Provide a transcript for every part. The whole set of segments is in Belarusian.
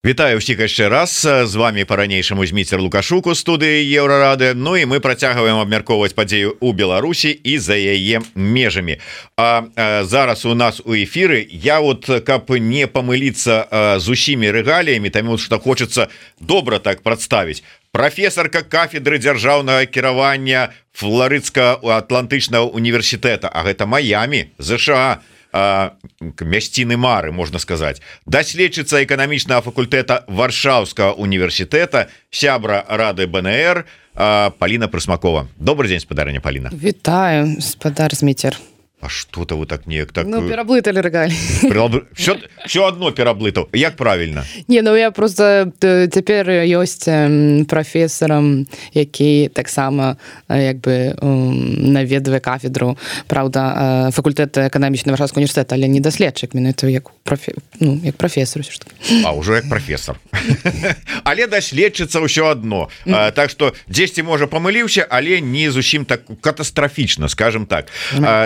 Вітаю ўсіх яшчэ раз, з вами по-ранейшаму Зміцер Лукашук у студыі Еўрарады. Ну і мы працягваем абмяркоўваць падзею ў Беларусі і за яе межамі. Зараз у нас у эфіры я вот, каб не памыліцца з усімі рэгаліямі, таму што хочацца добра так прадставіць. Прафесарка кафедры дзяржаўнага кіравання Флоридска-Атлантычнага універсітэта, а гэта Майами, ЗША, мясціны мары, можна сказаць, даследчыца эканамічнага факультэта Варшаўскага універсітэта, сябра рады БНР Паліна Прысмакова. Добрый дзень, спадарыня Паліна. Вітаю, спадар Зміцер. А что-то вы так неяк так... Ну, пераблыталі рэгаль. Все одно пераблытаў. Як правильно? Не, ну я просто цяпер ёсць прафесарам, які таксама як бы наведвае кафедру, правда, факультэта эканамічнага Варшаўскага універсітэта, але не даследчык, менавіта як прафесар. А, ўжо як прафесар. Але даследчыца ўсё адно. Так што дзесьці, можа, памыліўся, але не зусім так катастрафічна, скажем так.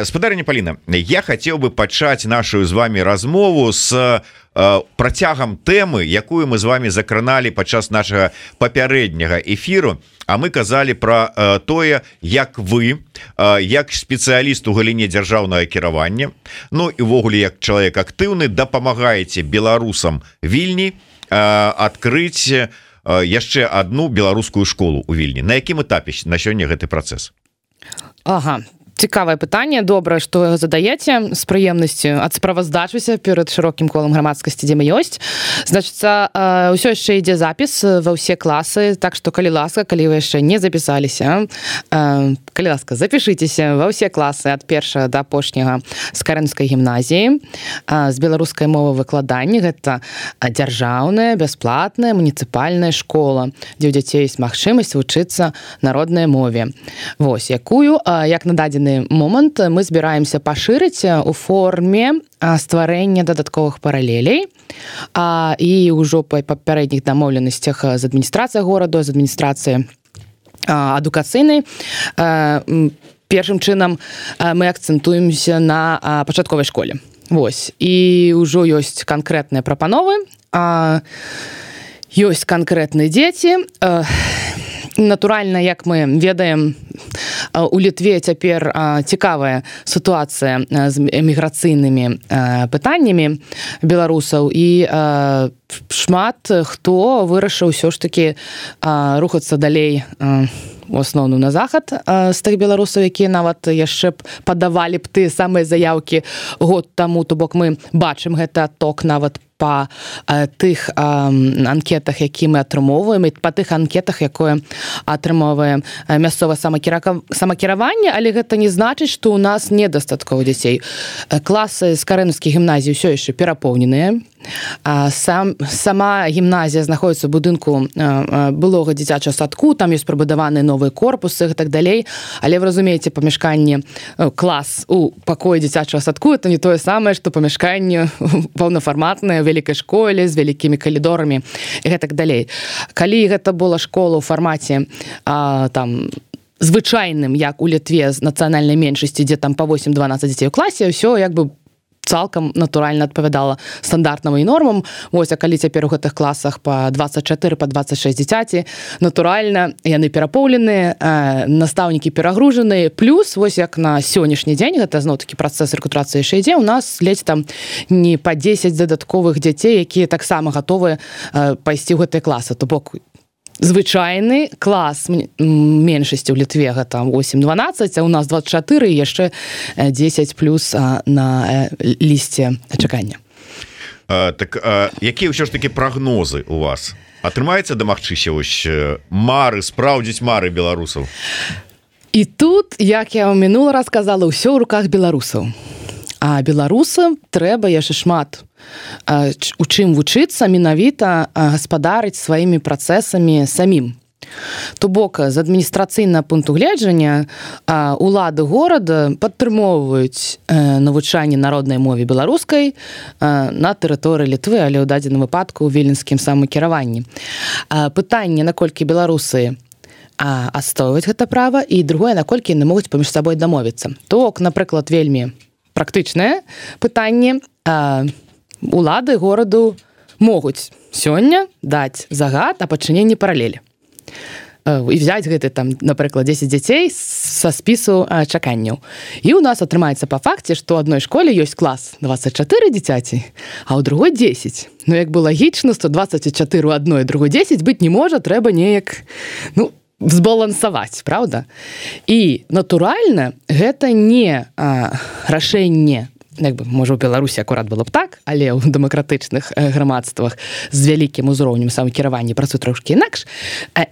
Спадарыня Паліна, я хацеў бы пачаць нашу з вами размову з працягам тэмы, якую мы з вами закраналі падчас нашага папярэдняга эфіру, а мы казалі пра тое, як вы, як спецыяліст у галіне дзяржаўнага кіравання, ну і ўвогуле як чалавек актыўны, дапамагаеце беларусам Вільні адкрыць яшчэ одну беларускую школу у Вільні. На якім этапе на сёння гэты працэс? Ага. Цікавае пытанне, добра, што задаеце, з прыемнасцю адсправаздачуся перад шырокім колам грамадскасці, дзе мы ёсць. Значыцца, ўсё яшчэ ідзе запіс ва ўсе класы, так што, калі ласка, калі вы яшчэ не запісаліся, калі ласка, запішыцеся ва ўсе класы ад першага да апошняга з Карэнскай гімназіі, з беларускай мовы выкладанні. Гэта дзяржаўная, бясплатная, муніцыпальная школа, дзе ў дзяцей ёсць магчымасць вучыцца народнай мове. Вось, якую, як на дадзены момант мы збіраемся пашырыць у форме стварэння дадатковых паралелей, і ўжо па папярэдніх дамоўленасцях з адміністрацыяй гораду, з адміністрацыяй адукацыйнай. Першым чынам мы акцэнтуемся на пачатковай школе. Вось, і ўжо ёсць канкрэтныя прапановы, ёсць канкрэтныя дзеці. Натуральна, як мы ведаем, у Літве цяпер цікавая сітуацыя з эміграцыйнымі пытаннямі беларусаў, і шмат хто вырашыў ўсё ж такі рухацца далей, у асноўным на захад, з тых беларусаў, якія нават яшчэ б падавалі б тыя самыя заяўкі год таму, то бок мы бачым гэты адток нават па тых анкетах, які мы атрымоўваем, і па тых анкетах, якое атрымоўвае мясцовае самакіраванне, але гэта не значыць, што ў нас недастаткова дзяцей. Класы з Карэнскай гімназіі ўсё яшчэ перапоўненыя. Сама гімназія знаходзіцца ў будынку былога дзіцячага садку, там ёсць прыбудаваныя новыя корпусы і так далей, але вы разумееце, памяшканне, клас у пакоі дзіцячага садку — это не тое самае, што памяшканне паўнафарматнае у вялікай школе з вялікімі калідорамі і гэтак далей. Калі гэта была школа ў фармаце там звычайным, як у Літве з нацыянальнай меншасці, дзе там па 8-12 дзяцей у класе, ўсё як бы цалкам натуральна адпавядала стандартнаму і нормам. Вось, а калі цяпер у гэтых класах па 24, па 26 дзіцяці, натуральна, яны перапоўленыя, настаўнікі перагружаныя, плюс, вось як на сённяшні дзень, гэта зноў-такі працэс рэкрутрацыі яшчэ ідзе, у нас ледзь там не па 10 дадатковых дзяцей, якія таксама гатовыя пайсці ў гэтыя класы. То бок, звычайны клас меншасці ў Літве гэта 8-12, а у нас 24 і яшчэ 10 плюс на лісце чакання. Так, якія ўсё ж такі прагнозы у вас? Атрымаецца дамагчыся вось мары, спраўдзіць мары беларусаў? І тут, як я мінула раз казала, ўсё ў руках беларусаў. А беларусам трэба яшчэ шмат у чым вучыцца, менавіта гаспадарыць сваімі працэсамі самім. То бок, з адміністрацыйнага пункту гледжання улады горада падтрымоўваюць навучанне народнай мове беларускай на тэрыторыі Літвы, але ў дадзеным выпадку ў віленскім самакіраванні. Пытанне, наколькі беларусы адстойваюць гэта права, і другое, наколькі яны могуць паміж сабой дамовіцца. То бок, напрыклад, вельмі практычнае пытанне, улады гораду могуць сёння даць загад о пачыненні паралелі і взять гэты там, напрыклад, 10 дзяцей са спісу чаканняў. І ў нас атрымаецца па факце, што ў адной школе ёсць клас 24 дзіцяці, а ў другой 10. Ну, як бы лагічна, 124 у адной, другой 10 быць не можа, трэба неяк, збалансаваць, правда? І, натуральна, гэта не рашэнне, як бы, можа, у Беларусі акурат было б так, але ў дэмакратычных грамадствах з вялікім узроўнем самакіравання працуе трошкі інакш.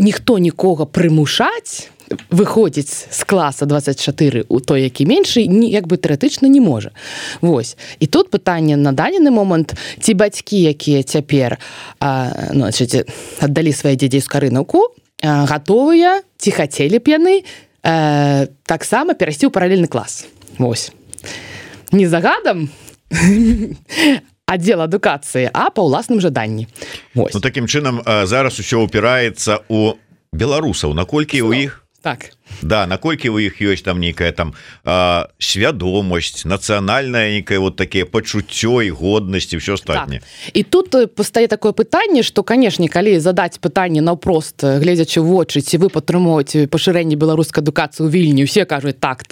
Ніхто нікога прымушаць выходзіць з класа 24 у той, які меншы, як бы тэарэтычна не можа. Вось. І тут пытанне на дадзены момант, ці бацькі, якія цяпер аддалі свае дзяцей з карынаўку, гатовыя, ці хацелі б яны таксама перайсці ў паралельны клас. Вось. Не загадам аддзел адукацыі, а па ўласным жаданні. Ну, такім чынам, зараз усё упіраецца у беларусаў, наколькі ў іх так. Да, наколькі ў іх ёсць там нейкая там свядомасць, нацыянальная нейкае вот такие пачуццё і годнасць і ўсё астатняе. Так. І тут пастае такое пытанне, што, канешне, калі задаць пытанне наўпрост, гледзячы ў вочы, ці вы падтрымоўваеце пашырэнне беларускай адукацыі ў Вільні, усе кажуць так.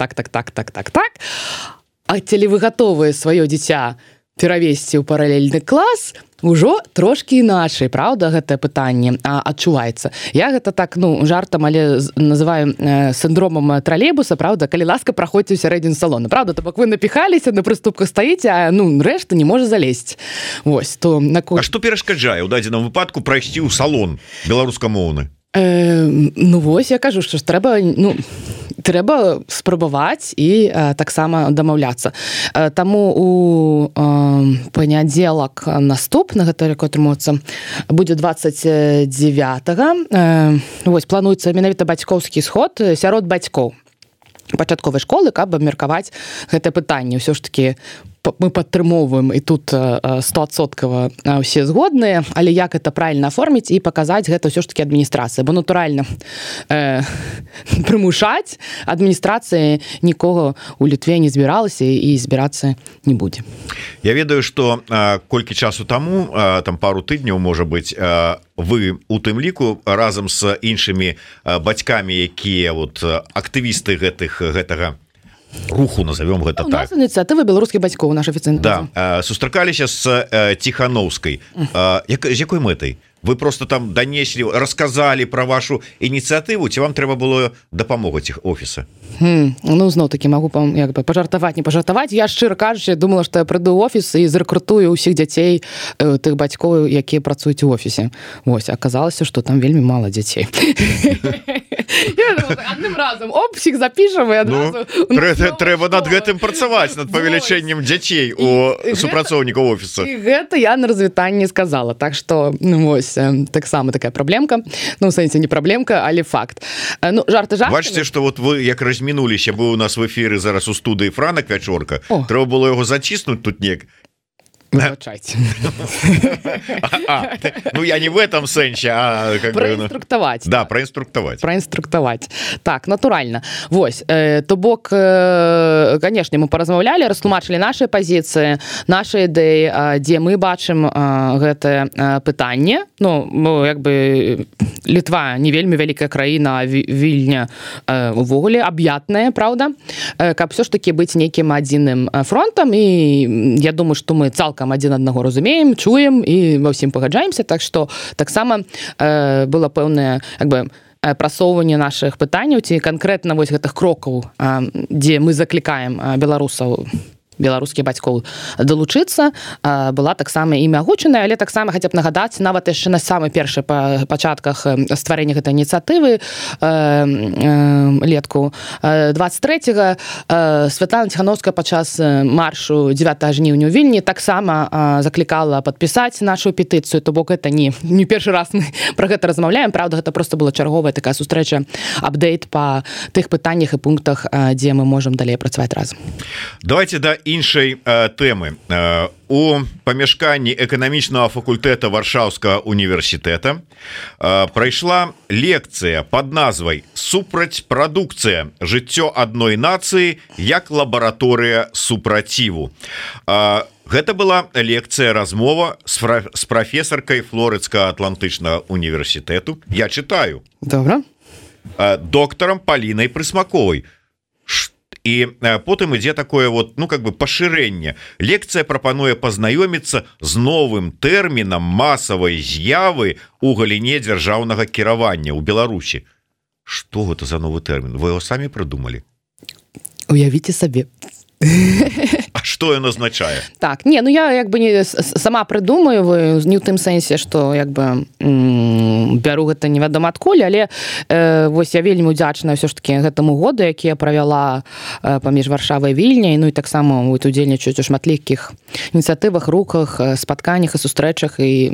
А ці вы гатовыя сваё дзіця перавесці ў паралельны клас, ужо трошкі іначай, правда, гэтае пытанне адчуваецца. Я гэта так, жартам, але называю сіндромам тралейбуса, правда, калі ласка, праходзьце ў сярэдзіну салона. Правда, то бок вы напіхаліся, на прыступках стаіце, а рэшта не можа залезть. Вось, то А што перашкаджае ў дадзеным выпадку прайсці ў салон беларускамоўны? Вось, я кажу, што ж трэба спрабаваць і таксама дамаўляцца. Таму у панядзелак наступны, гэта як атрымаецца, будзе 29-го. Вось, плануецца менавіта бацькоўскі сход сярод бацькоў пачатковай школы, каб абмеркаваць гэтае пытанне. Усё ж такі мы падтрымоўваем, і тут 100% ўсе згодныя, але як гэта правільна аформіць і паказаць гэта ўсё ж такі адміністрацыя, бо натуральна прымушаць адміністрацыі нікога ў Літве не збіралася і збірацца не будзе. Я ведаю, што колькі часу таму, там пару тыдняў, можа быць, вы у тым ліку разам з іншымі бацькамі, якія актывісты гэтага руху, назовем гэта так. У нас ініцыятыва беларускіх бацькоў, наш афіцыйны. Да, сустракаліся з Ціхановскай. З якой мэтай? Вы просто там данеслі, расказалі пра вашу ініцыятыву, ці вам трэба было дапамога ціх офіса? Зноў-такі магу пажартаваць, не пажартаваць. Я, шчыра кажучы, думала, што я прыйду ў офіс і зарэкрутую ўсіх дзяцей тых бацькоў, якія працуюць у офісе. Вось, аказалася, што там вельмі мала дзяцей. Адным разам всіх запішам і адразу... Трэба над гэтым працаваць, над павелічэннем дзяцей у супрацоўнікаў офіса. І гэта я на развітанні сказала. Так што, вось, таксама такая праблемка. У сэнсе не праблемка, але факт. Жарты жартамі. Бачыце, што вы як размінуліся, быў у нас в эфіры зараз у студыі Франак Вячорка. Трэба было яго заціснуць тут неяк. Выбачайце. Я не в этом сэнсе, а... Праінструктаваць. Да, праінструктаваць. Так, натуральна. Вось, то бок, канешне, мы паразмаўлялі, растлумачылі нашы пазіцыі, нашы ідэі, дзе мы бачым гэтае пытанне. Як бы, Літва не вельмі вялікая краіна, а Вільня увогуле аб'ятная, правда? Каб ўсё ж такі быць нейкім адзіным фронтам, і я думаю, што мы цалкам адзін аднаго разумеем, чуем і ва ўсім пагаджаемся, так што таксама было пэўнае прасоўванне нашых пытанняў ці канкрэтна вось гэтых крокаў, дзе мы заклікаем беларускіх бацькоў далучыцца, была таксама імя агучаная, але таксама хаця б нагадаць, нават яшчэ на самых першых пачатках стварэння гэтай ініцыятывы летку 23-го Святлана Ціхановская падчас маршу 9 жніўня ў Вільні таксама заклікала падпісаць нашу петыцыю, то бок гэта не першы раз мы пра гэта размаўляем, правда, гэта проста была чарговая такая сустрэча, апдейт па тых пытаннях і пунктах, дзе мы можам далей працаваць разам. Давайте да іншай тэмы. У памяшканні эканамічнага факультэта Варшаўскага універсітэта прайшла лекцыя под назвай «Супрацьпрадукцыя. Жыццё адной нацыі як лабараторыя супраціву». Гэта была лекцыя, размова з прафесаркай Флорыдскага атлантычнага універсітэту. Я читаю. Добра. Доктарам Палінай Прысмаковай. І потым ідзе такое вот, ну, как бы пашырэнне. Лекцыя прапануе пазнаёміцца з новым тэрмінам масавай з'явы у галіне дзяржаўнага кіравання ў Беларусі. Што гэта за новы тэрмін? Вы яго самі прыдумалі? Уявіце сабе. А что ён означае? Так, не, ну я як бы не сама прыдумаю, не ў тым сэнсе, што як бы бяру гэта невядома адкуль, але вось я вельмі удзячная ўсё ж таки гэтаму году, які я правяла паміж Варшавай і Вільняй, ну і таксама удзельнічаюць у шматлікіх ініцыятывах, рухах, спатканнях і сустрэчах, і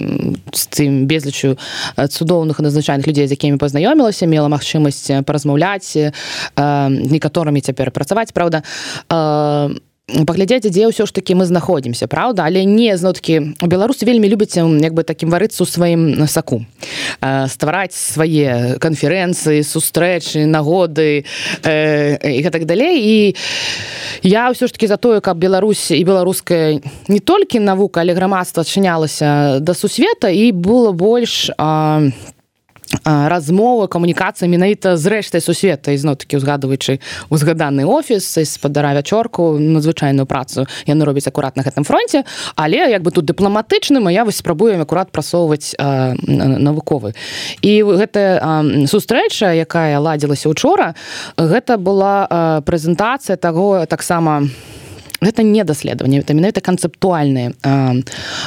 з тым безлічу цудоўных і надзвычайных людзей, з якімі пазнаёмілася, мела магчымасць паразмаўляць, некаторымі цяпер працаваць, праўда, паглядзець, дзе ўсё ж такі мы знаходзімся, праўда, але не зноў-такі беларусы вельмі любяць як бы такім варыцца ў сваім саку, ствараць свае канферэнцыі, сустрэчы, нагоды і гэтак далей. І я ўсё ж такі за тое, каб Беларусь і беларуская не толькі навука, але грамадства адчынялася да сусвета і было больш размовы, камунікацыі менавіта з рэштай сусвета. І зноў-такі узгадваючы узгаданы офіс спадара Вячорку, надзвычайную працу яны робяць акурат на гэтым фронце, але як бы тут дыпламатычным, а я вось спрабую акурат прасоўваць навуковы. І гэтая сустрэча, якая ладзілася учора, гэта была прэзентацыя таго таксама. Гэта не даследаванне, гэта менавіта канцэптуальны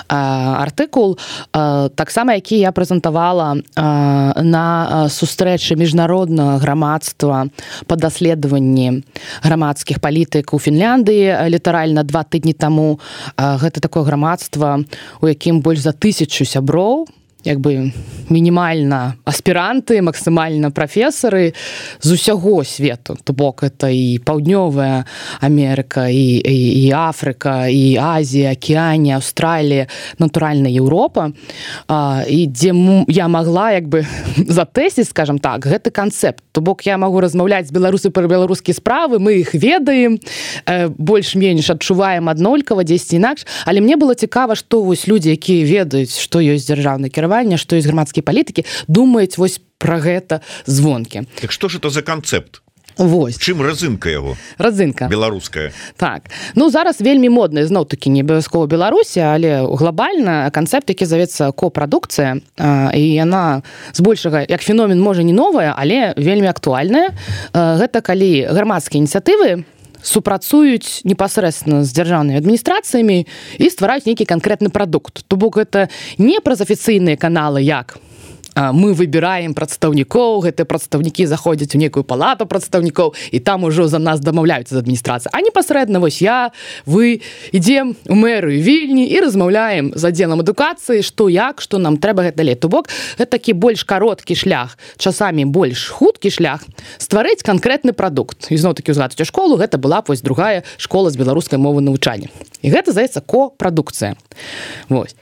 артыкул, таксама які я прэзентавала на сустрэчы міжнароднага грамадства па даследаванні грамадскіх палітык у Фінляндыі літаральна 2 тыдні таму. Гэта такое грамадства, у якім больш за 1000 сяброў, як бы мінімальна аспіранты, максімальна прафесары з усяго свету. То бок это і Паўднёвая Амерыка, і Афрыка, і Азія, Акіянія, Аўстралія, натуральна Еўропа. І дзе я магла як бы затэсціць, скажам так, гэты канцэпт. То бок я магу размаўляць з беларусамі пра беларускія справы, мы іх ведаем, больш-менш адчуваем аднолькава, дзесьці інакш, але мне было цікава, што вось людзі, якія ведаюць, што ёсць дзяржаўны кіраванне, што ёсць грамадскія палітыкі, думаюць вось пра гэта звонкі. Так што ж это за канцэпт? Вось. Чым разынка яго? Разынка. Беларуская. Так. Ну, зараз вельмі модны, зноў-такі, не абавязкова Беларусі, але глобальна канцэпт, які завецца копрадукцыя, і яна збольшага, як феномен, можа, не новая, але вельмі актуальная. Гэта калі грамадскія ініцыятывы супрацуюць непасрэдна з дзяржаўнымі адміністрацыямі і ствараюць нейкі канкрэтны прадукт. То бок гэта не праз афіцыйныя каналы, як мы выбіраем прадстаўнікоў, гэтыя прадстаўнікі заходзяць у некую палату прадстаўнікоў, і там ужо за нас дамаўляюцца з адміністрацыі. А непасрэдна вось я, вы ідзем у мэрыю Вільні і размаўляем з аддзелам адукацыі, што як, што нам трэба гэта далей. То бок гэта такі больш кароткі шлях, часамі больш хуткі шлях стварыць канкрэтны прадукт. І зноў-такі узгадваючы школу, гэта была вось другая школа з беларускай мовы навучання. І гэта здаецца копрадукцыя. Вось.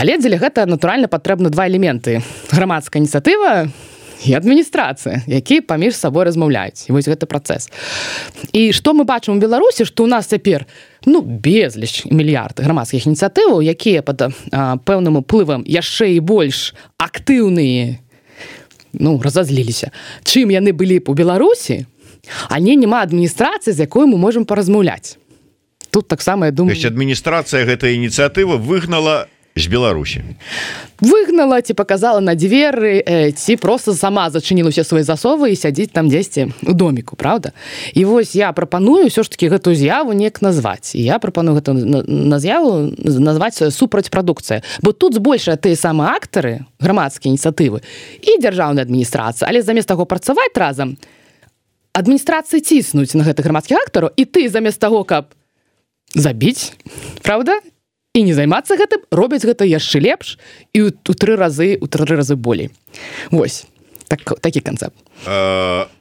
Але дзеля гэта, натуральна, патрэбны 2 элементы. Грамадская ініцыятыва і адміністрацыя, якія паміж сабой размаўляюць. І вось гэты працэс. І што мы бачым у Беларусі, што ў нас цяпер безліч мільярд грамадскіх ініцыятываў, якія пад пэўным уплывам яшчэ і больш актыўныя, разазліліся, чым яны былі б у Беларусі, але няма адміністрацыі, з якой мы можам паразмаўляць. Тут таксама, я думаю... То есть адміністрацыя гэтай ініцыятывы выгнала з Беларусі. Выгнала, ці показала на дзверы, ці просто сама зачыніла ўсе свае засовы і сядзіць там дзесьці у доміку, правда? І вось я прапаную ўсё ж такі гэтую з'яву неяк назваць. І я прапаную гэту з'яву назваць супрацьпрадукцыя. Бо тут збольшая тыя самыя актары, грамадскія ініцыятывы і дзяржаўная адміністрацыя. Але замест таго працаваць разам, адміністрацыі ціснуць на гэтых грамадскіх актараў, і ты замест таго, каб забіць, правда? І не займацца гэтым, робяць гэта яшчэ лепш і у 3 разы болей. Вось, такі канцэпт.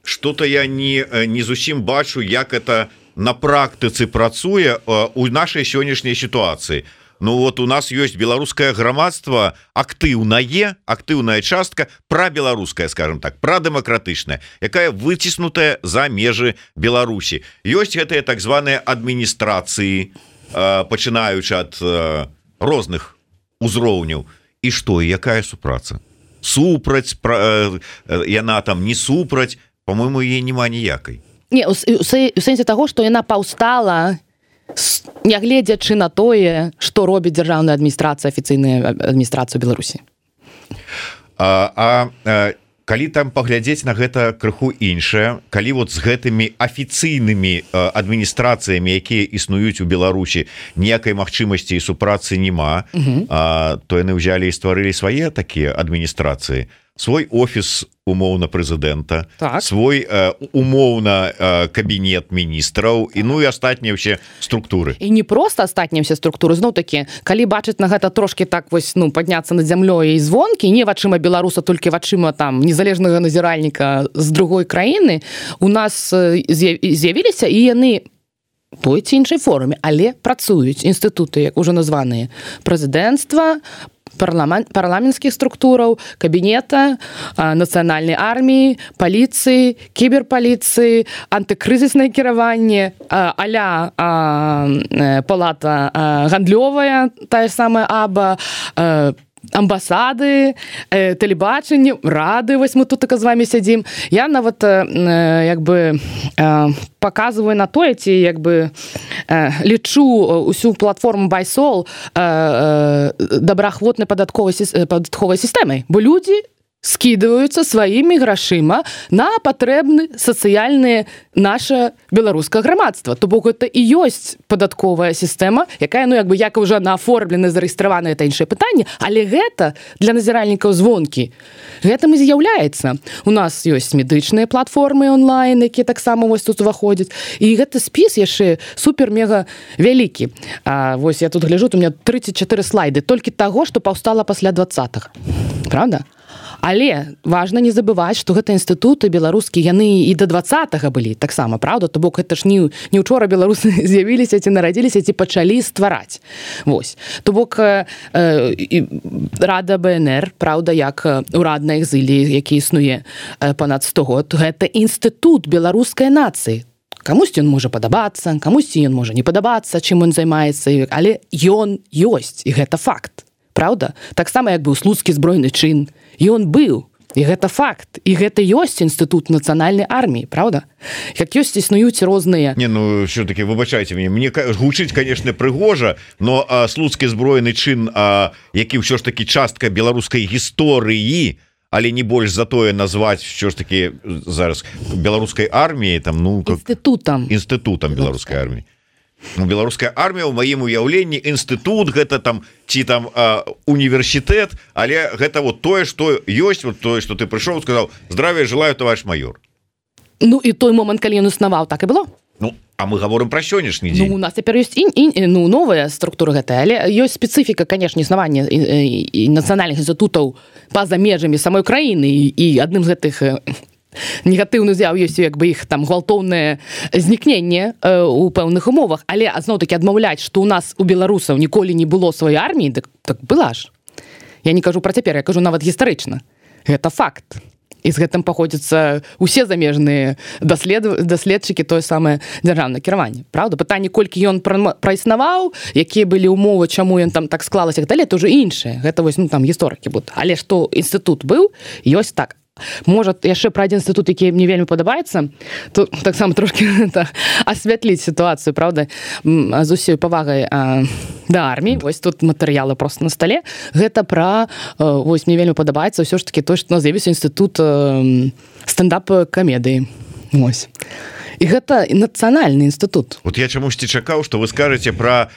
Што-то я не зусім бачу, як это на практыцы працуе у нашай сённяшняй сітуацыі. Ну вот у нас ёсць беларускае грамадства актыўная частка прабеларуская, скажем так, прадэмакратычная, якая выціснутая за межы Беларусі. Ёсць гэтыя так званыя адміністрацыі, пачынаючы ад розных узроўняў. І што, якая супраца? Супраць яна там, не супраць, по-моему, яе няма ніякай. Не, у сэнсе таго, што яна паўстала, нягледзячы на тое, што робіць дзяржаўная адміністрацыя, афіцыйная адміністрацыя Беларусі. Калі там паглядзець на гэта крыху іншае, калі вот з гэтымі афіцыйнымі адміністрацыямі, якія існуюць у Беларусі, ніякай магчымасці і супрацы няма, то яны ўзялі і стварылі свае такія адміністрацыі, свой офіс умоўна прэзідэнта, так. Свой умоўна кабінет міністраў і ну і астатнія ўсе структуры. І не проста астатнія ўсе структуры, зноў-такі, калі бачыць на гэта трошки так вось, ну, падняцца над зямлёй і звонкі, не вачыма беларуса, толькі вачыма там незалежнага назіральніка з другой краіны, у нас з'явіліся і яны той ці іншай форме, але працуюць інстытуты, як ужо названыя, прэзідэнцтва, парламенцкіх структураў, кабінета, нацыянальнай арміі, паліцыі, кіберпаліцыі, антыкрызіснае кіраванне, а-ля палата гандлёвая, тая самая АБА, амбасады, тэлебачанне, рады, вось мы тут так з вами сядзім. Я нават як бы показываю на тое, ці як бы лічу усю платформу BuySol добраахвотнай падатковай сістэмай, бо людзі скидываюцца сваімі грашыма на патрэбны сацыяльныя наша беларускае грамадства. То бок гэта і ёсць падатковая сістэма, якая, ну, як бы, як уже нааформлена, зарэгістравана, это іншае пытанне, але гэта для назіральнікаў звонкі. Гэтым і з'яўляецца. У нас ёсць медычныя платформы онлайн, якія таксама вось тут уваходзяць. І гэты спіс яшчэ супер-мега вялікі. Вось я тут гляжу, у меня 34 слайды толькі таго, што паўстала пасля 20-х. Правда? Але важна не забываць, што гэта інстытуты беларускія, яны і да 20-га былі таксама, правда? То бок гэта ж не ўчора беларусы з'явіліся ці нарадзіліся, ці пачалі ствараць. Вось. То бок Рада БНР, правда, як урадна экзылі, які існуе панад 100 год, гэта інстытут беларускай нацыі. Камусьці ён можа падабацца, камусьці ён можа не падабацца, чым ён займаецца, але ён ёсць, і гэта факт. Правда? Таксама як быў слуцкі збройны чын. Ён быў. І гэта факт. І гэта ёсць інстытут нацыянальнай арміі, правда? Як ёсць існуюць розныя... Не, ну, все-таки, выбачайце мне гучыць, конечно, прыгожа, но слуцкі збройны чын, які ўсё ж таки частка беларускай гісторыі, але не больш за тое назваць ўсё ж таки зараз беларускай арміяй, там, ну... Інстытутам беларускай арміі. Ну, беларуская армія ў маім уяўленні інстытут, гэта там ці там універсітэт, але гэта вот тое, што ёсць, вот тое, што ты прыйшоў, сказаў: здравия желаю, товарищ майор. Ну і той момант, калі ён існаваў, так і было. Ну, а мы гаворым пра сённяшні дзень. Ну, у нас цяпер ёсць новая структура гэтая, але ёсць спецыфіка, канешне, існавання і нацыянальных інстытутаў па-за межамі самой краіны, і адным з гэтых негатыўны з'яў ёсць, як бы, іх там гвалтоўнае знікненне у пэўных умовах, але зноў-такі адмаўляць, што ў нас у беларусаў ніколі не было сваёй арміі, так была ж. Я не кажу пра цяпер, я кажу нават гістарычна. Гэта факт. І з гэтым паходзяцца усе замежныя даследчыкі, тое самае дзяржаўнае кіраванне. Правда? Пытанне, колькі ён праіснаваў, якія былі умовы, чаму ён там так склалася, гэта ўжо іншае. Гэта вось, ну, там гісторыкі будуць. Але што інстытут быў, ёсць так. Можа, яшчэ пра адзін інстытут, які мне вельмі падабаецца, то таксама трошкі асвятліць сітуацыю, правда, з усёй павагай да арміі. Вось тут матэрыялы проста на стале. Гэта пра, вось, мне вельмі падабаецца ўсё ж такі той, што у нас з'явіўся інстытут стендап-камедыі. Вось. І гэта нацыянальны інстытут. Вот я чамусьці чакаў, што вы скажаце пра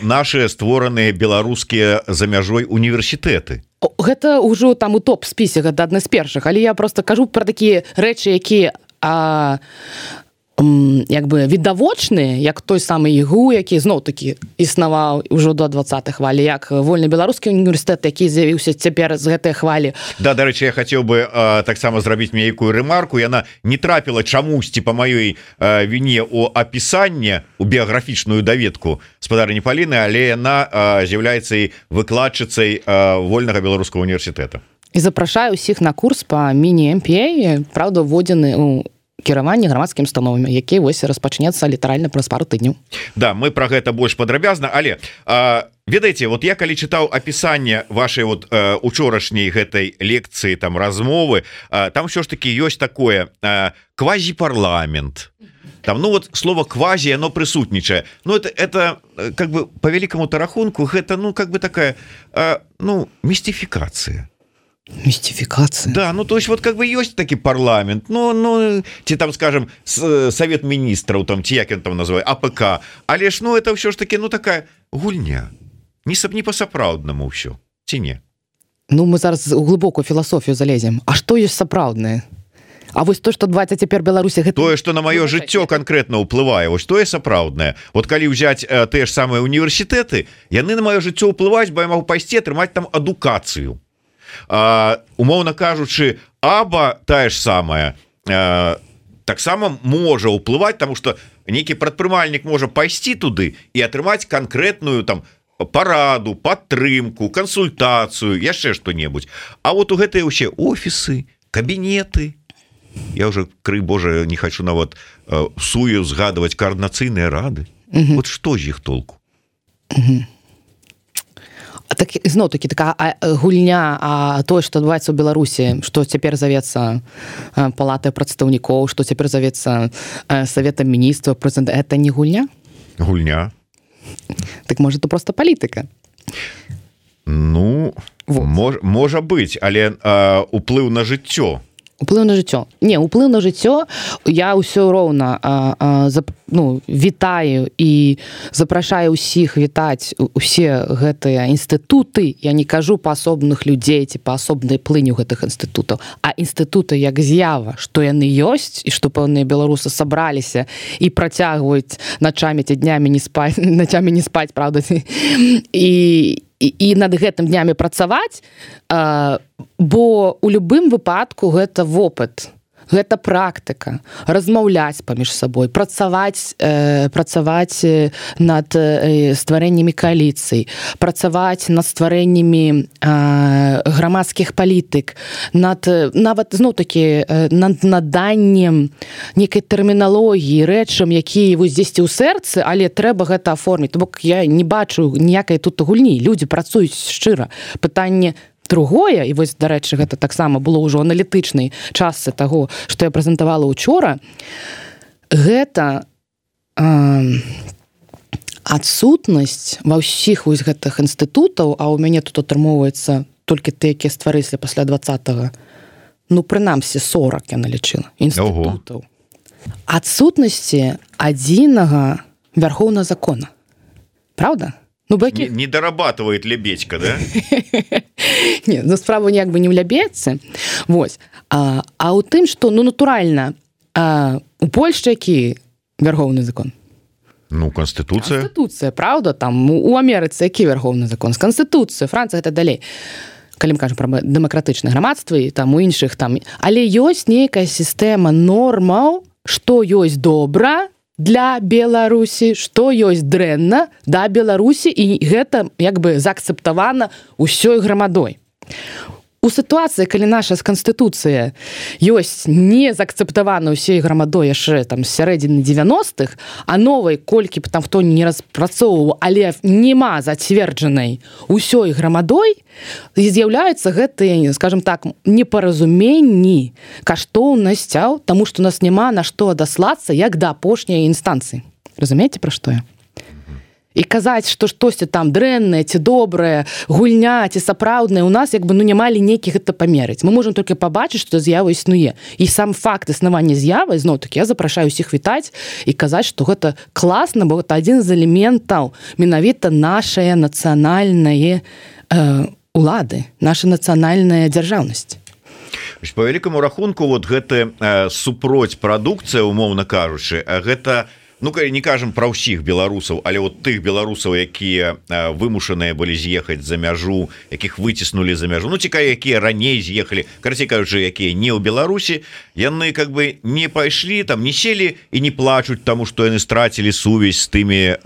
нашы створаныя беларускія за мяжой універсітэты. Гэта ўжо там у топ-спісе, гэта адна з першых, але я просто кажу пра такія рэчы, якія як бы відавочны, як той самы ігу, які зноў-такі існаваў ўжо до 20-х хвалі, як вольны беларускі універсітэт, які з'явіўся цяпер з гэтай хвалі. Да, дарэчы, я хацеў бы таксама зрабіць нейкую рэмарку. Яна не трапіла чамусьці па маёй віне ў апісанне, у біяграфічную даведку спадарні Паліны, але яна з'яўляецца і выкладчыцай вольнага беларускага універсітэта. І запрашаю ўсіх на курс па міні-MPA, правда, вводзены у кіраванне грамадскімі установамі, які вось распачнецца літаральна праз пару тыдняў. Да, мы про гэта больш падрабязна, але ведаеце, вот я калі чытаў апісанне вашай вот учорашняй гэтай лекцыі, там размовы, там ўсё ж таки ёсць такое квазіпарламент. Там, ну вот слово квази, оно присутничает. Ну это как бы по великому-то рахунку, это ну как бы такая ну мистификация. Мистификация. Да, ну то есть вот как бы есть таки парламент, ну те там, скажем, совет министров, там, те, як он там называет, АПК, але ж, ну это все ж таки, ну такая гульня, не по-сапраўднаму все, ці не? Ну мы зараз у глыбокую філасофію залезем. А што ёсць сапраўднае? А вось то, што адбываецца цяпер Беларусі, гэта... Тое, што на маё жыццё канкрэтна ўплывае, вось тое сапраўднае. Вот калі ўзяць тыя ж самыя універсітэты, яны на маё жыццё ўплываюць, бо я магу пайсці атрымаць там адукацыю. Умоўна кажучы, аба тая ж самая таксама можа ўплываць, таму што нейкі прадпрымальнік можа пайсці туды і атрымаць канкрэтную там параду, падтрымку, кансультацыю, яшчэ што-небудзь. А вот у гэтыя ўсе офісы, кабінеты, я уже, крый Божа, не хочу нават сую згадваць координацыйныя рады. Вот што з іх толку? Так, зноў-такі такая гульня, тое, што адбываецца ў Беларусі, што цяпер завецца палатай прадстаўнікоў, што цяпер завецца саветам міністраў, прэзідэнта, это не гульня? Гульня. Так можа, то просто палітыка? Ну, вот. Можа быць, але уплыў на жыццё. Уплыў на жыццё. Не, уплыў на жыццё я ўсё роўна вітаю і запрашаю ўсіх вітаць усе гэтыя інстытуты. Я не кажу па асобных людзей ці па асобнай плыню гэтых інстытутаў, а інстытуты як з'ява, што яны ёсць і што пэўныя беларусы сабраліся і працягваюць начамі ці днямі не спаць, правда, і над гэтым днямі працаваць, бо у любым выпадку гэта вопыт, гэта практыка, размаўляць паміж сабой, працаваць над стварэннямі кааліцый, працаваць над стварэннямі грамадскіх палітык, нават зноў-такі над наданнем нейкай тэрміналогіі, рэчам, якія вось дзесьці ў сэрцы, але трэба гэта аформіць. То бок я не бачу ніякай тут гульні. Людзі працуюць шчыра. Пытанне другое, і вось, дарэчы, гэта таксама было ўжо аналітычнай частцы таго, што я прэзентавала ўчора, гэта адсутнасць ва ўсіх вось гэтых інстытутаў, а ў мяне тут атрымоўваецца толькі тыя, якія стварыліся пасля 20-го, ну, прынамсі 40 я налічыла інстытутаў. Адсутнасці адзінага вярхоўнага закона. Правда? Ну, бакі... не дорабатывает Лебедька, да? Не, ну, справа як бы не ў Лебедцы. Вось. А ў тым, што, ну, натуральна, у Польшчы які вярхоўны закон? Ну, Конституцыя. Конституцыя, правда? Там у Амерыцы які вярхоўны закон? З Конституцыя, Францыя, гэта далей. Калі мы кажам пра дэмакратычнае грамадства і там у іншых там. Але ёсць нейкая сістэма нормаў, што ёсць добра для Беларусі, што ёсць дрэнна да Беларусі, і гэта як бы заакцэптавана ўсёй грамадой. У сітуацыі, калі наша Конституцыя ёсць не заакцэптавана ўсёй грамадой яшчэ там з сярэдзіны 90-х, а новай, колькі б там хто не распрацоўваў, але нема зацверджанай усёй грамадой, з'яўляюцца гэтыя, скажем так, непаразуменні, каштоўнасцяў, таму што у нас няма на што адаслацца як да апошняй інстанцыі. Разумееце, пра што я? І казаць, што штосьці там дрэннае ці добрае, гульня ці сапраўднае, у нас як бы ну няма лінейкі гэта памерыць. Мы можам толькі пабачыць, што з'ява існуе. І сам факт існавання з'явы, зноў-такі, я запрашаю ўсіх вітаць і казаць, што гэта класна, бо гэта адзін з элементаў менавіта нашае нацыянальнае улады, наша нацыянальная дзяржаўнасць. По вялікаму рахунку вот гэта супроць прадукцыя, умоўна кажучы, гэта, ну не кажам пра ўсіх беларусаў, але вот тых беларусаў, якія вымушаныя былі з'ехаць за мяжу, якіх выціснулі за мяжу, ну цікава, якія раней з'ехалі, карацей кажучы, якія не ў Беларусі, яны как бы не пайшлі там, не сели і не плачуць таму, што яны страцілі сувязь з тымі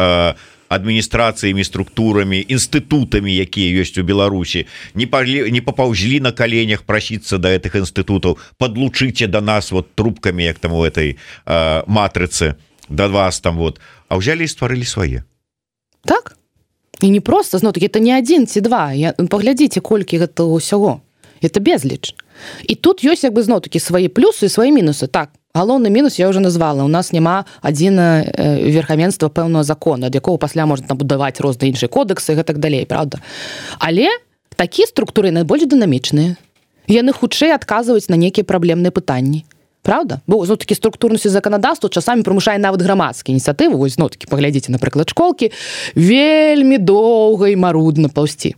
адміністрацыямі, структурамі, інстытутамі, якія ёсць у Беларусі, не папаўзлі на каленях прасіцца да гэтых інстытутаў, подлучыце да нас вот трубкамі, як там у этой матрыцы да вас там вот, а ўзялі і стварылі свае. Так, і не просто, зноў-такі, это не адзін ці два, паглядзіце, колькі гэта ўсяго, это безліч. І тут ёсць, як бы, зноў-такі, свае плюсы і свае мінусы. Так, галоўны мінус я ўжо назвала, у нас няма адзіна верхавенства пэўнага закона, ад якога пасля можна будаваць розныя іншыя кодексы і так далей, правда? Але такія структуры найбольш дынамічныя, яны хутчэй адказваюць на нейкія праблемныя пытанні. Правда? Бо зноў-такі структурнасць заканадаўства часамі прымушае нават грамадскія ініцыятывы, вось зноў-такі паглядзіце, напрыклад, школкі, вельмі доўга і марудна паўсці.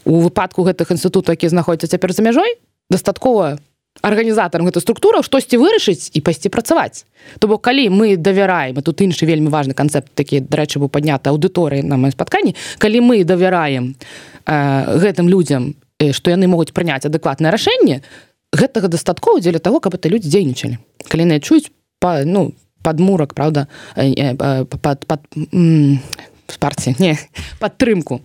У выпадку гэтых інстытутаў, якія знаходзяцца цяпер за мяжой, дастаткова арганізатарам гэтай структураў штосьці вырашыць і пайсці працаваць. То бок, калі мы давяраем, і тут іншы вельмі важны канцэпт, такі, дарэчы, быў падняты аўдыторыяй на маім спатканні, калі мы давяраем гэтым людзям, што яны могуць прыняць адэкватнае рашэнне, гэтага дастаткова дзеля таго, каб это людзі дзейнічалі. Калі яны чуюць падмурак, правда, падтрымку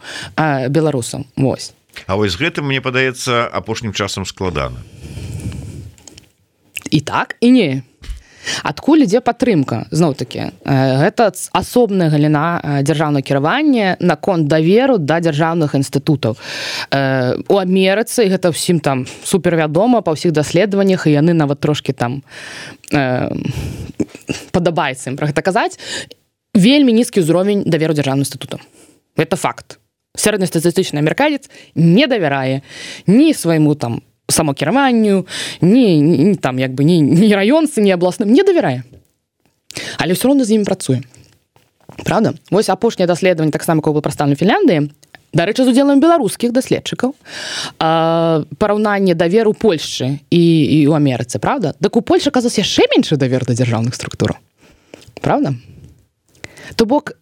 беларусам. Вось. А вось гэтым, мне падаецца, апошнім часам складана. І так, і не. Адкуль ідзе падтрымка? Зноў-такі, гэта асобная галіна дзяржаўнага кіравання наконт даверу да дзяржаўных інстытутаў. У Амерыцы гэта ўсім там супервядома па ўсіх даследаваннях, і яны нават трошкі там падабаецца ім пра гэта казаць. Вельмі нізкі ўзровень даверу дзяржаўным інстытутам. Гэта факт. Сярэднестатыстычны амерыканец не давярае ні свайму там самокіраванню, ні там, як бы, ні раёнцы, ні абласным, не давярае. Але ўсё роўна з імі працуе. Правда? Вось апошняе даследаванне, таксама, якое было прадстаўлена ў Фінляндыі, дарэчы, з удзелам беларускіх даследчыкаў, параўнанне даверу Польшчы і ў Амерыцы, правда? Так у Польшчы, аказалася, яшчэ меншы давер да дзяржаўных структураў. Правда? То бок,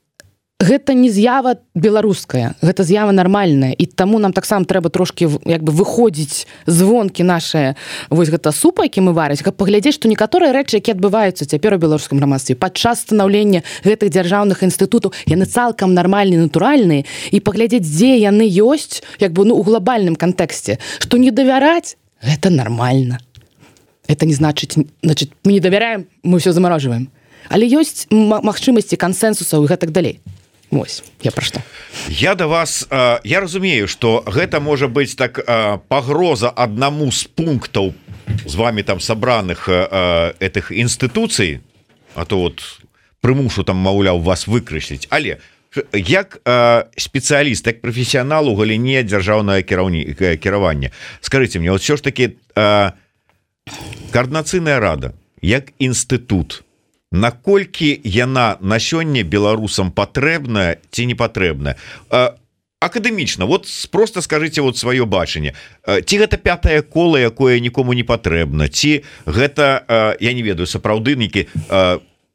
гэта не з'ява беларуская, гэта з'ява нармальная, і таму нам таксама трэба трошкі, як бы, выходзіць звонкі нашыя, вось гэта супа, які мы варыць, каб паглядзець, што некаторыя рэчы, якія адбываюцца цяпер у беларускім грамадстве, падчас станаўлення гэтых дзяржаўных інстытутаў, яны цалкам нармальныя, натуральныя, і паглядзець, дзе яны ёсць, як бы, у глобальным кантэксце, што не давяраць, гэта нармальна. Это не значыць, мы не давяраем, мы ўсё замарожваем. Але ёсць магчымасці кансэнсусаў і гэтак далей. Вось, я пра што. Я да вас, я разумею, што гэта можа быць так пагроза аднаму з пунктаў з вами там сабраных этих інстытуцый, а то вот прымушу там, маўляў, вас выкрэсліць, але як спецыяліст, як прафесіянал у галіне дзяржаўнага кіравання, скажыце мне, вот все ж таки координацыйная рада як інстытут, наколькі яна на сёння беларусам патрэбная ці не патрэбная? Акадэмічна, вот просто скажите вот сваё бачанне, ці гэта пятае кола, якое нікому не патрэбна, ці гэта, я не ведаю, сапраўды нейкі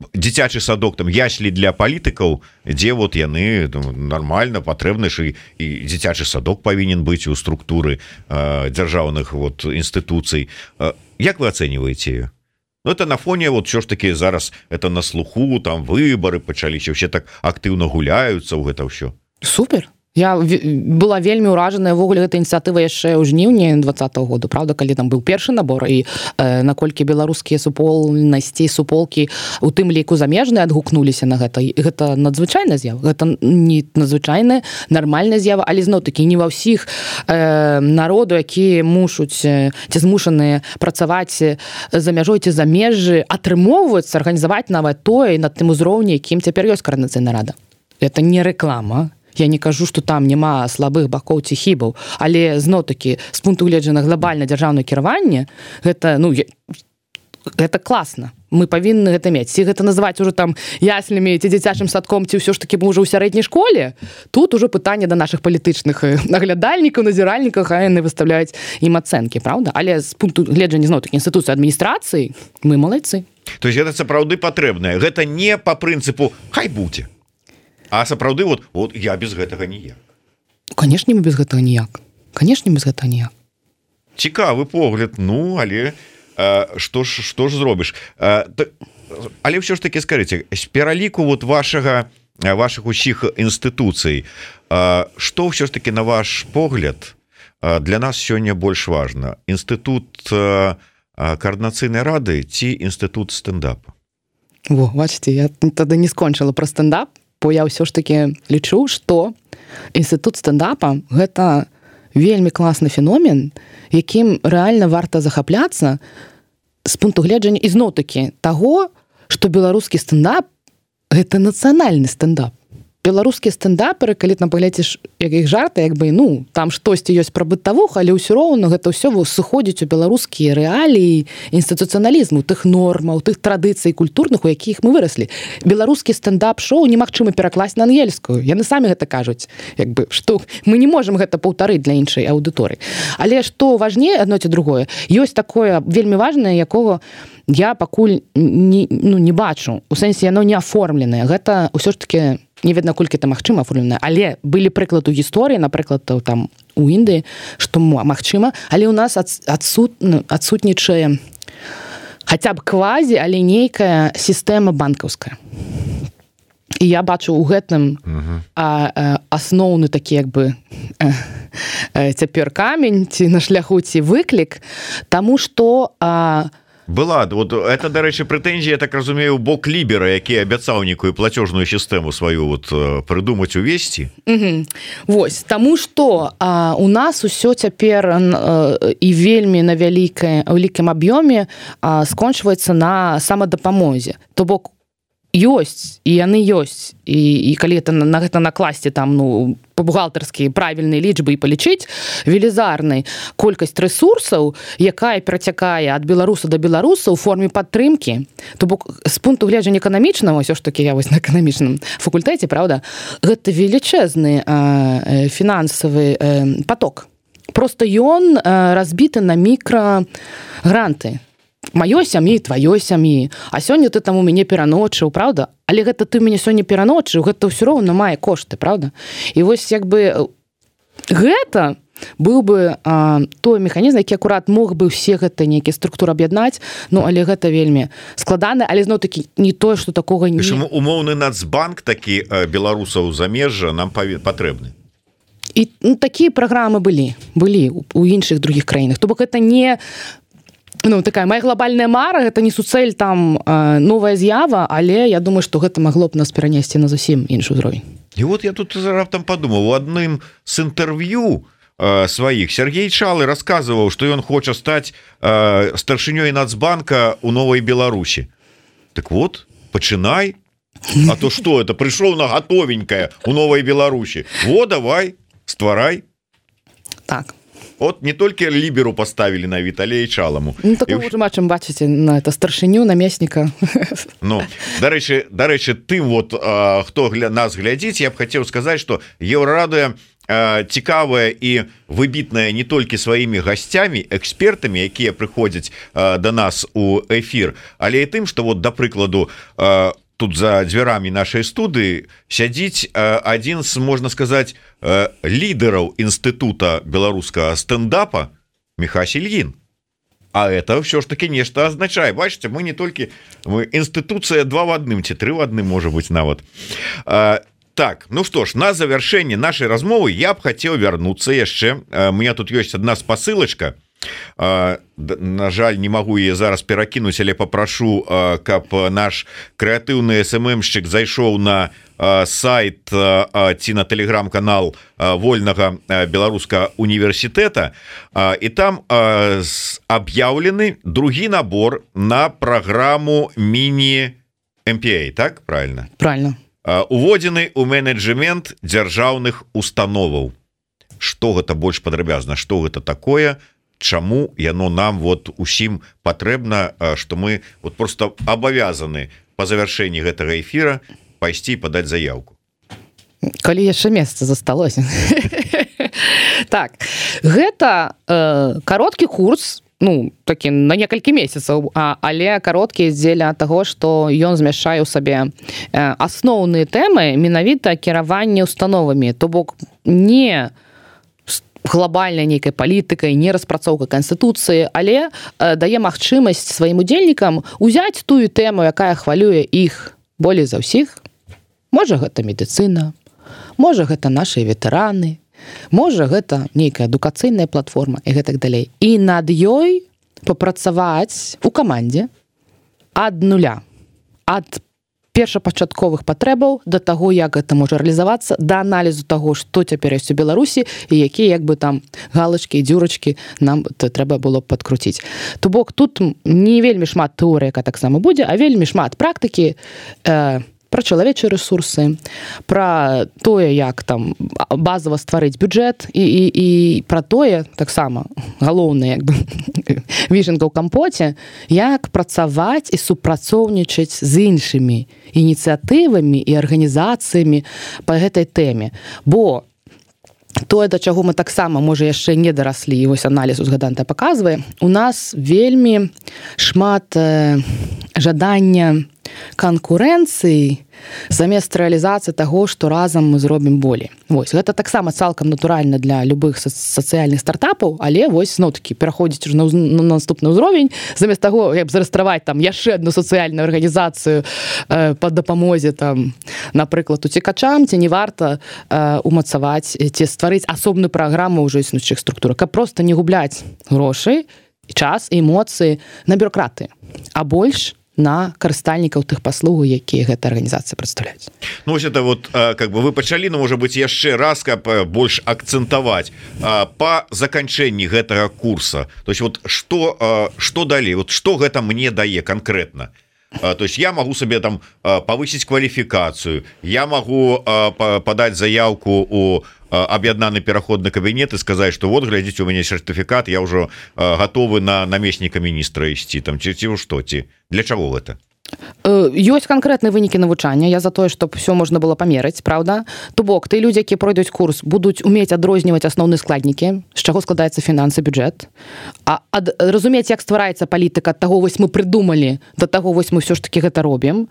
дзіцячы садок, там яслі для палітыкаў, дзе вот яны нормально патрэбны, і дзіцячы садок павінен быць у структуры дзяржаўных вот інстытуцый. Як вы ацэньваеце ее? Ну, это на фоне, вот все ж таки зараз это на слуху, там выборы пачаліся, все так актыўна гуляюцца ў гэта ўсё. Супер. Я была вельмі ўражаная ввогуле гэтай ініцыятывы яшчэ ў жніўні 2020 году, правда, калі там быў першы набор, і наколькі беларускія супольнасці, суполкі у тым ліку замежныя адгукнуліся на гэта. Гэта надзвычайная з'ява, гэта не надзвычайная, нармальная з'ява, але зноў-такі не ва ўсіх народу, якія мушуць ці змушаныя працаваць за мяжой ці за межы, атрымоўваюцца арганізаваць нават тое на тым узроўні, якім цяпер ёсць координацыйная рада. Это не реклама. Я не кажу, што там няма слабых бакоў ці хібаў, але зноў-такі з пункту гледжання глобальна дзяржаўнае кіраванне, гэта, гэта класна, мы павінны гэта мець. Ці гэта называць уже там яслямі ці дзіцячым садком, ці ўсё ж такі мы ўжо ў сярэдняй школе, тут ужо пытанне да нашых палітычных наглядальнікаў, назіральнікаў, а яны выставляюць ім ацэнкі, правда? Але з пункту гледжання зноў-такі інстытуцыі адміністрацыі мы малайцы. То есть гэта сапраўды патрэбнае. Гэта не па прынцыпу хай будзе, а сапраўды вот я без гэтага ніяк. Канешне, мы без гэтага ніяк. Канешне, без гэтага ніяк. Цікавы погляд, ну, але што ж зробіш? Але ўсё ж таки скажыце, з пераліку вот вашых усіх інстытуцый, што ўсё ж таки на ваш погляд для нас сёння больш важна? Інстытут координацыйнай рады ці інстытут стендапа? Во, бачыце, я тады не скончыла пра стендап, бо я ўсё ж таки лічу, што інстытут стендапа гэта вельмі класны феномен, якім рэальна варта захапляцца з пункту гледжання ізноў-такі таго, што беларускі стендап гэта нацыянальны стендап. Беларускія стендаперы, калі там паглядзіш як іх жарты, як бы, ну, там штосьці ёсць пра бытавух, але ўсё роўна гэта ўсё сыходзіць у беларускія рэаліі інстытуцыяналізму, тых нормаў, тых традыцый культурных, у якіх мы выраслі. Беларускі стендап-шоу немагчыма перакласць на ангельскую. Яны самі гэта кажуць, як бы, што мы не можам гэта паўтарыць для іншай аўдыторыі. Але што важней адно ці другое, ёсць такое вельмі важнае, якога я пакуль не бачу. У сэнсе яно не аформленае. Гэта ўсё ж такі не ведна, колькі это магчыма аформленае, але былі прыклады ў гісторыі, напрыклад, там у Індыі, што магчыма, але ў нас адсутнічае хаця б квазі, але нейкая сістэма банкаўская. І я бачу ў гэтым асноўны такі, як бы, цяпер камень, ці на шляху, ці выклік, таму што была, вот это, дарэчы, прэтэнзія, я так разумею, бок лібера, які абяцаў нейкую плацёжную сістэму сваю вот прыдумаць, увесці. Вось, таму што у нас усё цяпер і вельмі на вялікім аб'ёме скончваецца на самадапамозе. То бок ёсць, і яны ёсць, і калі на гэта накласці там, ну, па-бухгалтарскі правільныя лічбы і палічыць велізарнай колькасць рэсурсаў, якая перацякае ад беларуса да беларуса ў форме падтрымкі. То бок з пункту гледжання эканамічнага, ўсё ж такі я вось на эканамічным факультэце, правда, гэта велічэзны фінансавы поток. Просто ён разбіты на мікрагранты. Маёй сям'і, тваёй сям'і. А сёння ты там у мяне пераночыў, правда? Але гэта ты мяне сёння пераночыў, гэта ўсё роўна мае кошты, правда? І вось як бы гэта быў бы той механізм, які акурат мог бы ўсе гэта нейкія структуры аб'яднаць, ну, але гэта вельмі складана, але зноў-такі не тое, што такога не... Умоўны Нацбанк такі беларусаў замежжа нам патрэбны. І такія праграмы былі у іншых другіх краінах. То бок гэта не... Ну, такая моя глобальная мара, гэта не суцэль там новая з'ява, але я думаю, што гэта магло б нас перанесці на зусім іншы ўзровень. І вот я тут раптам падумаў, у адным з інтэрв'ю сваіх Сергей Чалы расказваў, што ён хоча стаць старшынёй Нацбанка ў Новай Беларусі. Так вот, пачынай. А то што, это прыйшоў на гатовенькае ў Новай Беларусі. Во, давай, стварай. Так. Вот не толькі ліберу поставілі на Віталія Чаламу. Ну, такого ўжо бачым, бачыце, на это старшыню, намесніка. Ну, дарэчы, тым вот, хто нас глядзіць, я б хацеў сказаць, што Еўрарадыё цікавая і выбітная не толькі сваімі гасцямі, экспертамі, якія прыходзяць да нас у эфір, але і тым, што вот, да прыкладу, тут за дзвярамі нашай студыі сядзіць адзін з, можна сказаць, лідараў інстытута беларускага стендапа Михась Ільін. А это ўсё ж таки нешта азначае. Бачыце, мы не толькі інстытуцыя 2 в 1 ці 3 в 1, можа быць, нават. Так, ну што ж, на завяршэнне нашай размовы я б хацеў вярнуцца яшчэ. У меня тут ёсць адна спасылачка. На жаль, не магу яе зараз перакінуць, але папрашу, каб наш крэатыўны СММшчык зайшоў на сайт ці на тэлеграм-канал вольнага беларускага універсітэта, і там аб'яўлены другі набор на праграму міні-MPA, так? Правильно? Правильно. Уводзены ў менеджмент дзяржаўных установаў. Што гэта больш падрабязна? Што гэта такое? чаму яно нам вот усім патрэбна, что мы вот просто абавязаны по завяршэнні гэтага эфира пайсці падаць заявку. Калі яшчэ месца засталося. Так, гэта кароткі курс, ну, такі на некалькі месяцаў, але кароткі дзеля таго, што ён змяшчае ў сабе асноўныя тэмы менавіта кіравання установамі, то бок не глобальнай нейкай палітыкай, не распрацоўка канстытуцыі, але дае магчымасць сваім удзельнікам узяць тую тэму, якая хвалюе іх болей за ўсіх. Можа, гэта медыцына, можа, гэта нашы ветэраны, можа, гэта нейкая адукацыйная платформа і гэтак далей. І над ёй папрацаваць у камандзе ад нуля, ад першапачатковых патрэбаў да таго, як гэта можа рэалізавацца, да аналізу таго, што цяпер ёсць у Беларусі і якія як бы там галачкі і дзюрачкі нам трэба было падкруціць. То бок тут не вельмі шмат тэорыі, якая таксама будзе, а вельмі шмат практыкі, пра чалавечыя рэсурсы, пра тое, як там базава стварыць бюджэт і пра тое, таксама галоўнае як бы вішенка ў кампоце, як працаваць і супрацоўнічаць з іншымі ініцыятывамі і арганізацыямі па гэтай тэме. Бо тое, да чаго мы таксама, можа, яшчэ не дараслі, і вось аналіз узгаданы паказвае, у нас вельмі шмат жадання канкурэнцыі замест рэалізацыі таго, што разам мы зробім болей. Вось, гэта таксама цалкам натуральна для любых сацыяльных стартапаў, але вось, зноў-такі, пераходзіць уже на наступны ўзровень, замест таго, як зарэстраваць там яшчэ адну сацыяльную арганізацыю па дапамозе, там, напрыклад, уцекачам, ці не варта умацаваць, ці стварыць асобную праграму ўжо існуючых структурах, каб проста не губляць грошы, час і эмоцыі на бюрократыі, а больш на карыстальнікаў тых паслугаў, якія гэта арганізацыя прадстаўляюць. Ну, вось это вот, как бы вы пачалі, ну, можа быць, яшчэ раз, каб больш акцэнтаваць па заканчэнні гэтага курса. То есть вот што далей? Вот што гэта мне дае канкрэтна? То есть я могу себе там повысить квалификацию, я могу подать заявку у объединенный переходный кабинет и сказать, что вот, глядите, у меня сертификат, я уже готовы на наместника министра ісці, там, ці што, ці для чаго гэта? Ёсць канкрэтныя вынікі навучання, я за тое, чтобы все можна было памераць, правда? То бок, ты людзі, якія пройдуць курс, будуць умець адрозніваць асноўныя складнікі, з чаго складаецца фінансы, бюджэт, разумець, як ствараецца палітыка, ад таго вось мы прыдумалі, да таго вось мы ўсё ж такі гэта робім,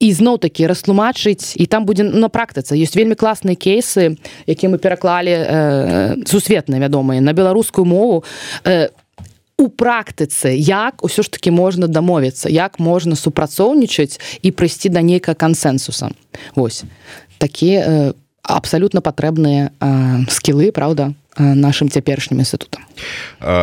і зноў-такі растлумачыць, і там будзе на практыцы. Ёсць вельмі класныя кейсы, якія мы пераклалі сусветныя, вядомыя, на беларускую мову, у практыцы, як ўсё ж такі можна дамовіцца, як можна супрацоўнічаць і прыйсці да нейкага кансэнсуса. Вось. Такія абсалютна патрэбныя скілы, правда, нашим цяперашнім інстытутам.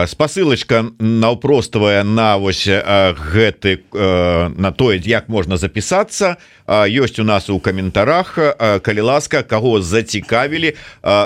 Спасылачка наўпроставая на вось гэты, на тое, як можна запісацца, ёсць у нас у каментарах, калі ласка, каго зацікавілі,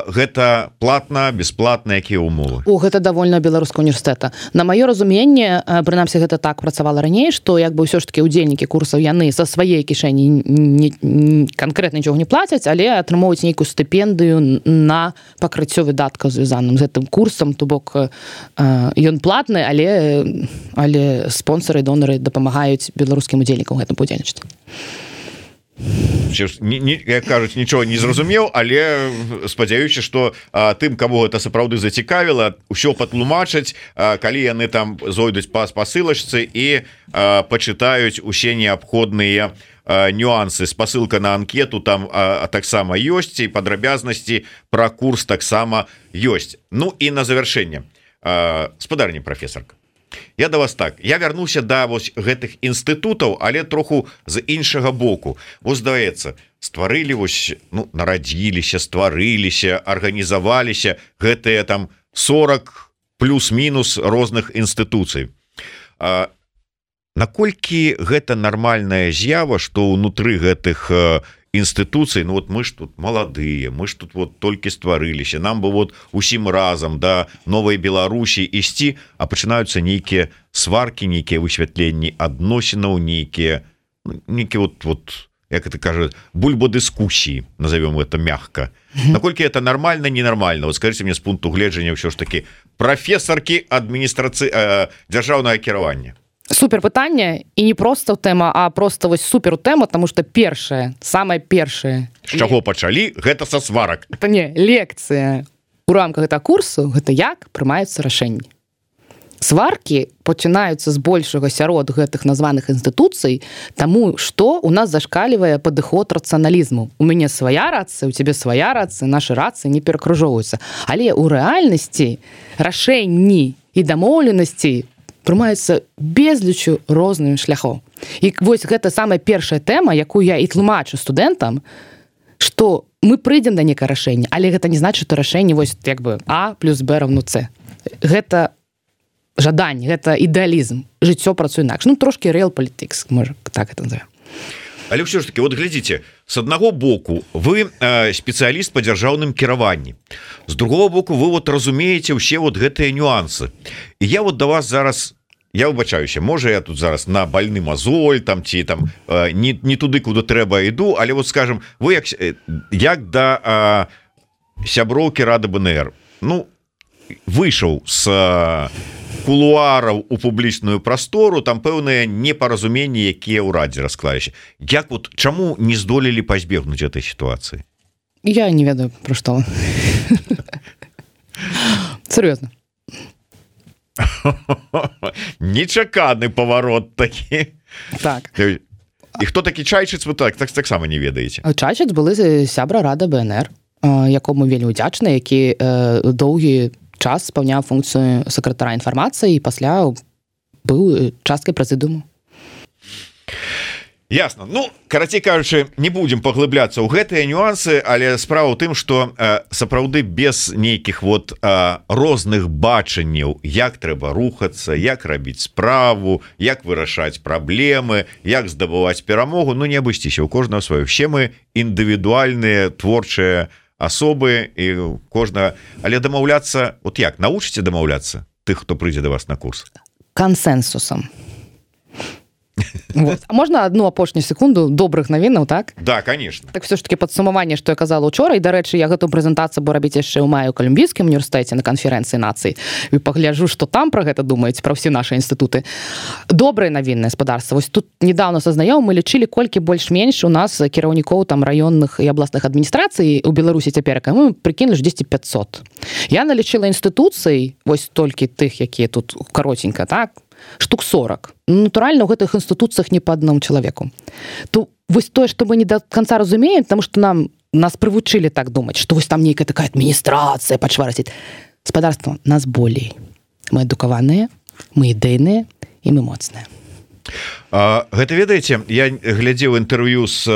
гэта платна, бесплатна, якія ўмовы? Гэта давольна беларускага універсітэта. На маё разуменне, прынамсі гэта так працавала раней, што як бы ўсё ж такі удзельнікі курсаў яны са сваёй кішэні канкрэтна нічога не плацяць, але атрымоўваюць нейкую стыпендыю на пакрыццё выдаткаў звязаным з гэтым курсам, то бок ён платны, але спонсары і донары дапамагаюць беларускім удзельнікам гэтым удзельнічаць. Як кажуць, нічого не зразумеў, але спадзяюся, што тым, каму гэта сапраўды зацікавіла, ўсё патлумачаць, калі яны там зойдуць па спасылачцы і пачытаюць усе неабходныя нюансы. Спасылка на анкету там таксама ёсць, і падрабязнасці пра курс таксама ёсць. Ну і на завяршэнне, спадарня прафесарка, я да вас так, я вярнуся да вось гэтых інстытутаў, але троху з іншага боку. Вось здаецца, стварылі вось, ну, нарадзіліся, стварыліся, арганізаваліся гэтыя там 40 плюс-мінус розных інстытуцый. Наколькі гэта нармальная з'ява, што ўнутры гэтых інстытуцый, ну вот мы ж тут маладыя, мы ж тут вот толькі стварыліся, нам бы вот усім разам да новай Беларусі ісці, а пачынаюцца нейкія сваркі, нейкія высвятленні адносінаў, нейкія вот як это кажут, бульбодискуссии, назовем это мягко. Наколькі это нормально, ненормально? Вот скажите мне с пункту гледжання ўсё ж таки профессорки администрации державного кіравання. Супер пытанне, і не просто тэма, а просто вось супер тэма, тому что першае, самае першае. З чаго пачалі? Гэта са сварак. Это не лекцыя. У рамках гэтага курсу гэта як прымаюцца рашэнні. Сваркі пачынаюцца з большага сярод гэтых названых інстытуцый, таму што у нас зашкалівае падыход рацыяналізму. У мяне свая рацыя, у цябе свая рацыя, нашы рацыі не перакружоўваюцца. Але ў рэальнасці рашэнні і дамоўленасці прымаюцца безлічу розных шляхоў. І вось гэта самая першая тэма, якую я і тлумачу студэнтам, што мы прыйдзем да некае рашэння, але гэта не значыць, што рашэнне вось як бы А плюс Б равно С. Гэта жаданне, гэта ідэалізм. Жыццё працуе інакш. Ну, трошкі real politics, можа, так это назовем. Але ўсё ж таки, вот глядзіце, с аднаго боку вы спецыяліст па дзяржаўным кіраванні. З другого боку вы вот разумееце ўсе вот гэтыя нюансы. І я вот да вас зараз, я выбачаюся, можа я тут зараз на больны мозоль там ці там не туды, куды трэба іду, але вот скажем, вы як да сяброўкі Рады БНР, ну, выйшаў з кулуараў у публічную прастору, там пэўныя непаразуменні, якія ў радзе расклаліся. Як вот чаму не здолелі пазбегнуць этой сітуацыі? Я не ведаю, пра што. Сур'ёзна. Нечаканы паварот такі. Так. І хто такі Чайчыц, вы таксама не ведаеце? Чайчыц былы сябра Рады БНР, якому вельмі ўдзячны, які доўгі час спаўняў функцыю сакратара інфармацыі і пасля быў часткай прэзідыуму. Ясно. Ну, карацей кажучы, не будзем паглыбляцца ў гэтыя нюансы, але справа ў тым, што сапраўды без нейкіх вот розных бачанняў, як трэба рухацца, як рабіць справу, як вырашаць праблемы, як здабываць перамогу, ну не абысціся, у кожнага сваё. Все мы індывідуальныя творчыя асобы і кожнага, але дамаўляцца, от як навучыце дамаўляцца тых, хто прыйдзе да вас на курс? Кансенсусам. Вот. А можна одну апошнюю секунду добрых навінаў, так? Да, конечно. Так все ж таки падсумаванне, што я казала учора, і, дарэчы, я гэтую прэзентацыю буду рабіць яшчэ ў маю ў Калумбійскім універсітэце на канферэнцыі нацый. І пагляджу, што там пра гэта думаюць, пра ўсе нашы інстытуты. Добрае навіннае спадарства. Вось тут недавно са знаёмым мы лічылі, колькі больш-менш у нас кіраўнікоў там раённых і абласных адміністрацый у Беларусі цяперака. Мы прыкінулі 10-500. Я налічыла інстытуцый, вось толькі тых, якія тут каротенька, так? Штук 40. Натуральна, у гэтых інстытуцыях не па аднаму чалавеку. То вось тое, што мы не да канца разумеем, таму што нас прывучылі так думаць, што вось там нейкая такая адміністрацыя пачварыць. Спадарства, нас болей. Мы адукаваныя, мы ідэйныя і мы моцныя. Гэта, ведаеце, я глядзеў інтэрв'ю з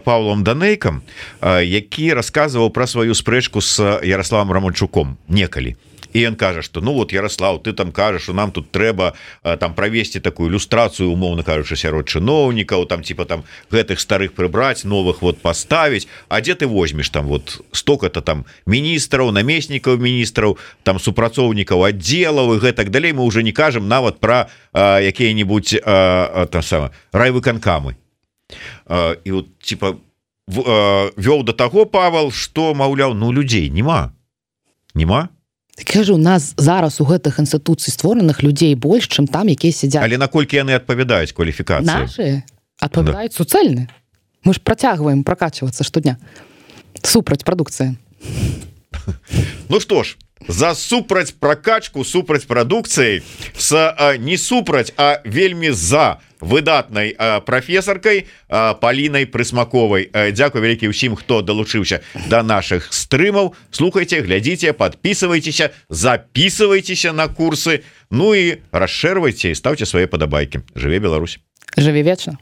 Паўлом Данейкам, які расказваў пра сваю спрэчку з Ярославам Романчуком некалі. І ён кажа, што ну вот, Ярослав, ты там кажаш, што нам тут трэба там правесці такую ілюстрацыю, умоўна кажучы, сярод чыноўнікаў, там типа там гэтых старых прыбраць, новых вот паставіць. А дзе ты возьмеш там вот столько-то там міністраў, намеснікаў міністраў, там супрацоўнікаў аддзелаў і гэтак далей. Мы уже не кажам нават пра якія-небудзь райвыканкамы. І вот типа вёў да таго Павел, што маўляў, ну людзей нема. Кажу, у нас зараз у гэтых інстытуцый створаных людзей больш, чым там, якія сядзяць. Але наколькі яны адпавядаюць кваліфікацыі? Нашы адпавядаюць суцэльны. Мы ж працягваем пракачвацца штодня. Супраць прадукцыі. Ну што ж, за супраць пракачку, супраць прадукцыі, не супраць, а вельмі за выдатнай прафесаркай Палінай Прысмаковай. Дзякуй вялікі ўсім, хто далучыўся да нашых стрымаў. Слухайце, глядзіце, подписывайтеся, записывайтеся на курсы, ну і расшэрвайце і ставце свае падабайкі. Жыве Беларусь! Жыве вечна!